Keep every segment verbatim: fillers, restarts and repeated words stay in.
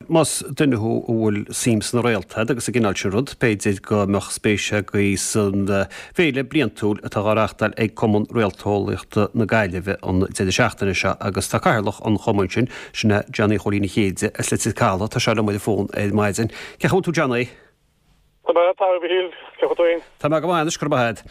más duine thú a bhfuil suim sna réalta agus sa gcineál sin rud, b'fhéidir go mbeadh spéis agaibh san bhféile bliantúil atá á reáchtáil ag Cumann Réalteolaíochta na Gaillimhe an deireadh seachtaine seo agus tá cathaoirleach an chumainn sin, sin é Johnny Chóilín Uí Chéide as Leitir Caladh, tá sé liom ar an bhfón ar maidin. Cén chaoi a bhfuil tú Johnny? Tá mé tá Mhíchíl, cén chaoi tú féin? Tá mé go maith anois, go raibh maith agat.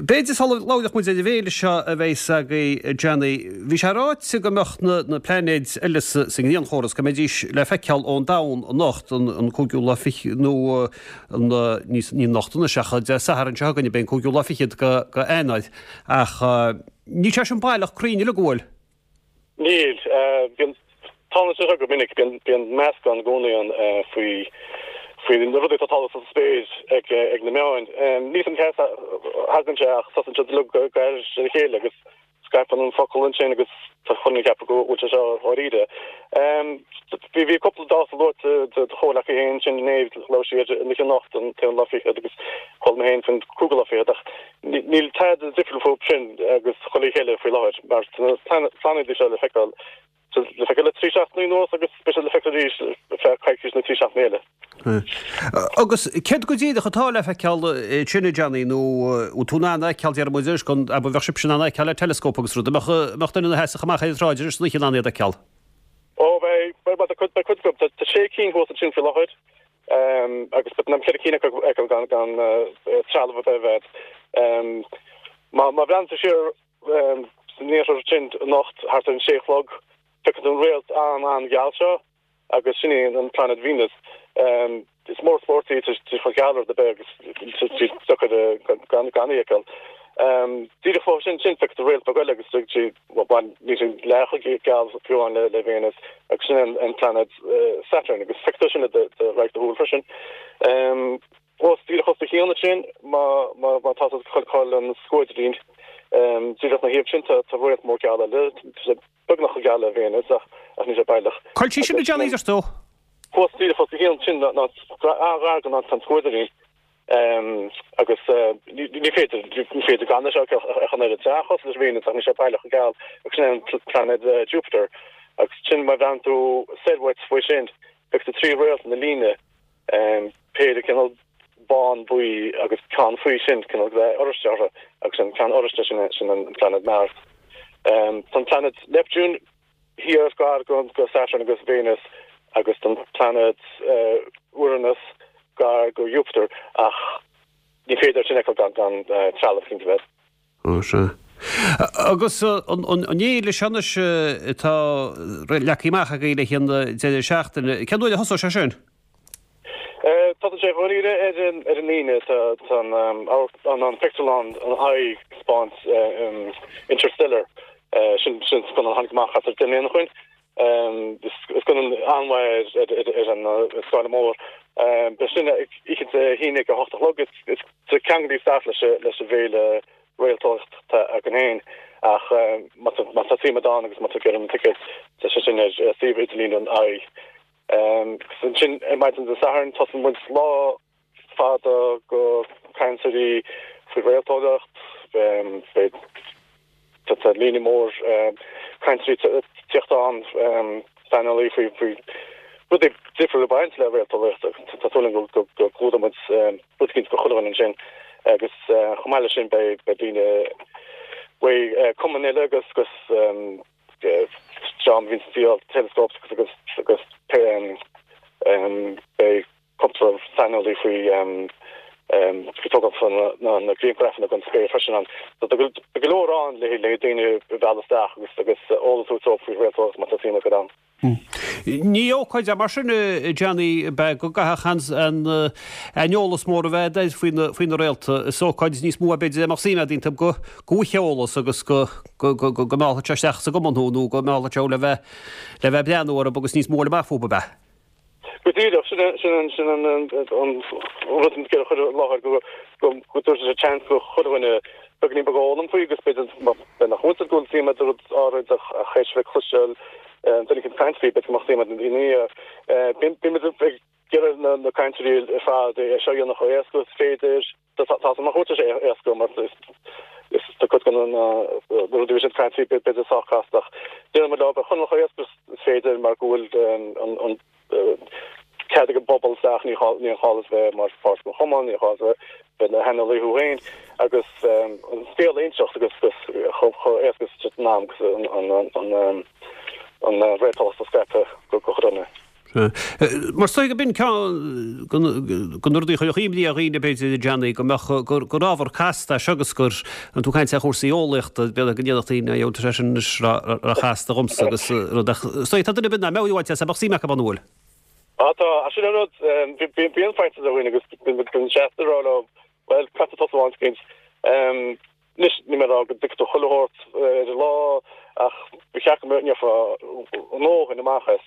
B'fhéidir sula labhródh muid ar an bhféile seo a bheas agaibh Johnny, bhí sé ráite go mbeadh na na pláinéid eile sa sa ngrianchóras, go mbeidís le feiceáil ón domhan anocht, an an cúigiú lá fiche nó an ní ní anocht anois ach Dé Sathairn seo chugainn, beidh an cúigiú lá fichead go go Eanáir. Ach níl sé sin baileach cruinn uilig, an bhfuil? Níl. Bíonn, tarlaíonn sé seo go minic, bíonn, bíonn meascán i gcónaí ann faoi, faoi na rudaí atá ag tarlú sa spéir ag, ag na meáin. Níl 'fhios a'm cá as a thagann sé ach tosaíonn siad uilig go gar ar a chéile agus scaipeann an focal ansin agus tá chuile dhuine ag ceapadh go bhfuil sé seo dháiríre. Bhí, bhí cúpla dáta luaite do do chomhghleacaí féin ansin inné, labhair sí ar an oíche anocht, an t-aon lá fichead agus chuala mé féin faoin cúigiú lá fichead ach níl tada difriúil fúthu sin agus chuile oíche eile faoi láthair mar tá na pláinéidí seo le feiceáil le feiceáil le trí seachtainí anuas agus beidh siad le feiceáil arís ar feadh coicís nó trí seachtainí eile. Agus céard go díreach atá le feiceáil ansin a Johnny nó bhfuil tú in ann a fheiceáil déarfaidh muid anois go abair bheadh sibhse in ann a fheiceáil le teileascóp agus rud, an mbeadh mbeadh duine ina sheasamh amach ar an tsráid arís san oíche in ann iad a fheiceáil? Ó beidh, beidh, beidh cuid beidh cuid acu, tá sé cinn thuas ansin faoi láthair. Agus beidh na ceithre cinn acu a fheiceáil gan gan trealamh ar bith a bheith. Má má bhreathnaíonn tú siar san iarthar ansin anocht thart ar an sé a chlog, feicfidh tú an réalt an-an-gheal seo agus sin í an pláinéad Venus. Is mór spórt í, tá sí chomh geal le rud ar bith agus tá sí deacair gan gan í a fheiceáil. Díreach fúithi sin sin feicfidh tú réalt beag eile agus sí bhuel níl sí leath chomh geal fiú amháin le le Venus agus sin an an pláinéad Saturn agus feicfidh tú sin le do do radharc do shúl freisin. Os díreach os do chionn ansin má má má tá tú ag feiceáil an scuaidrín díreach ina thaobh sin tá tá réalt mór geal eile tá sé beagnach chomh geal le Venus ach ach níl sé baileach. Cá bhfuil sí sin a Johnny deir tú? Thuas díreach os do chionn sin ná an-ghar don an scuaidrín. Agus ní féidir, ní féidir gan é seo a fheiceáil ach an oiread. Tá sé an-chosúil leis Venus ach níl sé baileach chomh geal agus sin é an pláinéad Jupiter. Agus sin má bhreathnaíonn tú soir uait faoi sin, feicfidh tú trí réalt ina líne, péire cineál bán buí agus ceann faoi sin, cineál dath oráiste orthu agus an ceann oráiste sin, sin an pláinéad Mars. Tá an pláinéad Neptune thiar gar go Saturn agus Venus agus tá an pláinéad Uranus gar go Jupiter ach ní féidir sin a fheiceáil gan gan trealamh cinnte bheith. Ó sea. Agus an fhéile seo anois atá leagtha amach agaibh le haghaidh an deireadh seachtaine, cén uair a thosóidh sé sin? Tosaíonn sé dháiríre ar an ar an Aoine. Tá tá an an an pictiúrlann an Eye ag taispeáint Interstellar sin sin scannán a tháinig amach thart ar deich mbliana ó shin. Is scannán an-mhaith ar an scáileán mór. Beidh sin oíche Dé hAoine ag a hocht a chlog. Is ceangal isteach leis leis an bhféile réalteolaíochta againn féin ach má tá suim agat ann agus má tá tú ag iarraidh na ticéid tá sé sin ar suíomh idirlín an Eye. Agus ansin ar maidin Dé Sathairn tosaíonn muid lá fada go cainteoirí faoi réalteolaíocht. Beidh Tá líne mór cainteoirí ag teacht ann, saineolaí faoi faoi rudaí difriúla ag baint le réalteolaíocht. Tá súil againn go go gclúdóidh muid rud eicínt do chuile dhuine ansin agus chomh maith leis sin beidh beidh daoine uaidh cumainn eile agus agus dream a bhíonn ag díol teileascóps agus agus agus beidh cúpla saineolaí faoi faoi tógáil na na grianghrafanna den spéir freisin ann. So tá go leor ann le le daoine a mhealladh isteach agus agus eolas a thabhairt faoi réalteolaíocht má tá suim agat ann. Ní ócáid é mar sin a Johnny ab ea go gcaithfeadh an an eolas mór a bheith agat faoi na faoi na réalta. Is ócáid níos mó é b'fhéidir dá mbeadh suim agat iontu go go bhfaighfeá eolas agus go go go go meallfadh sé isteach sa gcumann thú nó go meallfadh sé thú le bheith le bheith ag breathnú orthu agus níos mó a fháil amach fúthu ab ea? Go díreach, sin an sin an an rud an a chur i láthair go go go dtabharfaidh sé seans do chuile dhuine beagáinín beag a fhoghlaim faoi agus b'fhéidir b'fhéidir nach bhfuil go bhfuil suim agat i rud áirid ach ach théis bheith ag cloisteáil duine éicint ag caint faoi b'fhéidir go mbeadh suim agat ina dhiaidh. Bíonn muid ag iarraidh na na cainteoirí ar fad é seo a dhéanamh chomh éasca is féidir. Tá tá nach bhfuil sé éasca mar is tá cuid de na rudaí a bhí siad ag caint faoi b'fhéidir sách casta ach déanann muid leo a choinneáil chomh éasca is féidir mar go bhfuil an an bpobal isteach, ní ní gá duit bheith mar pháirt den chumann, ní gá duit bheith i do shaineolaí thú féin agus an scéal a inseacht agus chomh éasca is an am agus an an réalteolaíocht a scaipeadh go chuile dhuine. Mar is dóigh go b'in ceann de na rudaí a chuirfeadh imní ar dhaoine b'fhéidir a Johnny go mbeadh gur ábhar casta é seo agus gur an tú ag caint ar chúrsaí eolaíochta b'fhéidir go ndéanfadh daoine a tá sé sin anois róchasta dhomsa agus rud ach is dóigh tá duine ar bith nach mbeadh uait as bheadh suim acu ann an bhfuil? Á tá, sin an rud bíonn faitíos ar dhaoine agus bíonn seasta ag rá leo bhuel caithfidh tú tosú áit éicint. Anois níl mé ag rá go dtuigfidh tú chuile shórt ar an lá ach ba cheart go mbainfeá a ndóthain amach as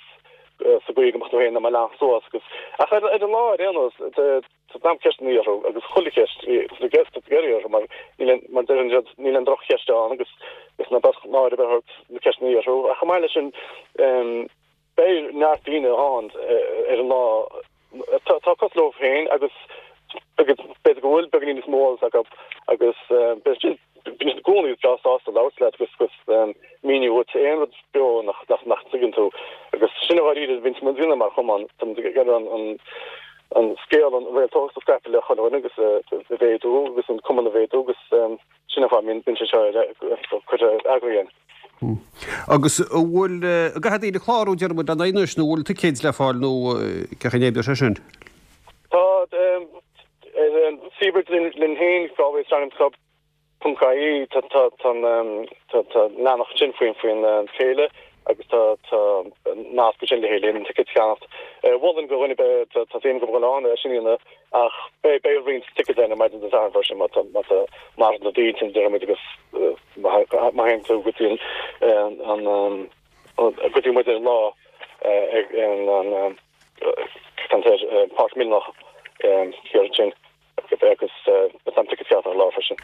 sa gcaoi go mbeadh tú féin in ann leanacht suas agus ach ar an lá ar aon nós tá an t-am ceisteanna orthu agus chuile cheist tá tú ag iarraidh orthu mar níl aon mar deireann siad níl aon droch-cheist ann agus is ná beadh náire ar bith ort na ceisteanna orthu ach chomh maith leis sin beidh neart daoine ann ar an lá atá cosúil leo féin agus b'fhéidir go bhfuil beagáinín níos mó eolas acu agus b'fhéidir sin bíonn siad i gcónaí breá sásta labhairt leat agus agus míniú dhuit aon rud beo nach nach nach dtuigeann tú agus sin i ndáiríre a bhíonn muid ag déanamh mar chumann tá muid ag iarraidh an an an scéal an réalteolaíocht a scaipeadh le chuile dhuine agus a mhéadú agus an cumann a mhéadú agus sin an fáth a mbíonn sé seo curtha againn. Agus an bhfuil, an gcaithfidh daoine clárú, deir muid, lena anois nó an bhfuil ticéid le fáil nó cén chaoi a n-oibreoidh sé sin? Tá, ar an suíomh linn féin, Galway Astronomy Club ponc ie, tá tá tá tá leathanach ansin faoin faoin féile agus tá tá nasc ansin le haghaidh an ticéid a cheannacht. Mholfainn do dhuine ar bith tá suim acu dul ann é sin a dhéanamh ach beidh beidh roinnt ticéid ann ar maidin Dé Sathairn freisin má tá má tá mar na daoine deir muid agus má théann tú go dtí an an go dtí muid ar an lá ag an an Páirc Mhilleanach thiar ansin agus beidh am ticéid ceart ar an lá freisin.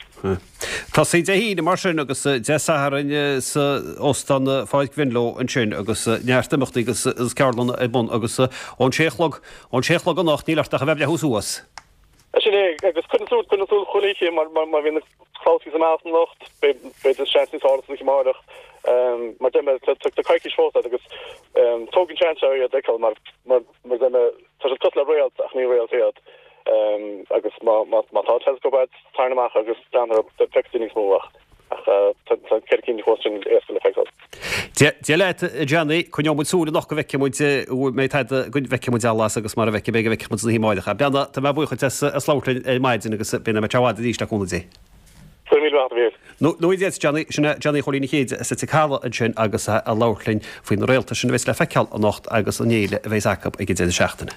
Tosaí Dé hAoine mar sin agus Dé Sathairn sa Óstán Pháirc Mhenlo ansin agus neart imeachtaí agus ceardlanna ar bun agus ón sé a chlog, ón sé a chlog anocht níl ort ach a bheith ag breathnú suas. Sin é, agus coinnigh súil, coinnigh súil chuile oíche mar má bhíonn na clabhtaí amach anocht, b'fhéidir seans níos fearr san oíche amárach. Mar deir mé, tá coicís fós agat agus tóg an seans seo iad a fheiceáil mar mar deir mé, tá siad cosúil le réalt ach ní réalt iad. Agus má tá teileascóp agat, tarraing amach agus breathnaigh orthu, feicfidh tú níos mó ach tá ceithre cinn fós sin éasca le feiceáil. Dia leat, a Johnny, coinneoidh muid súil anocht go bhfeicfidh muid an mbeidh tada, go bhfeicfidh muid allas agus mara bhfeicfidh, beidh go bhfeicfidh muid san oíche amárach. Beannacht, tá mé buíoch duit as as labhairt linn ar maidin agus beidh mé i bhfad arís le cúnamh Dé. Go raibh míle maith agat, a Mhíchíl. Nó Dia duit, Johnny, sin é Johnny Chóilín Uí Chéide as Leitir Caladh ansin agus é ag labhairt linn faoi na réalta sin a bheas le feiceáil anocht agus an fhéile a bheas acu ag an deireadh seachtaine.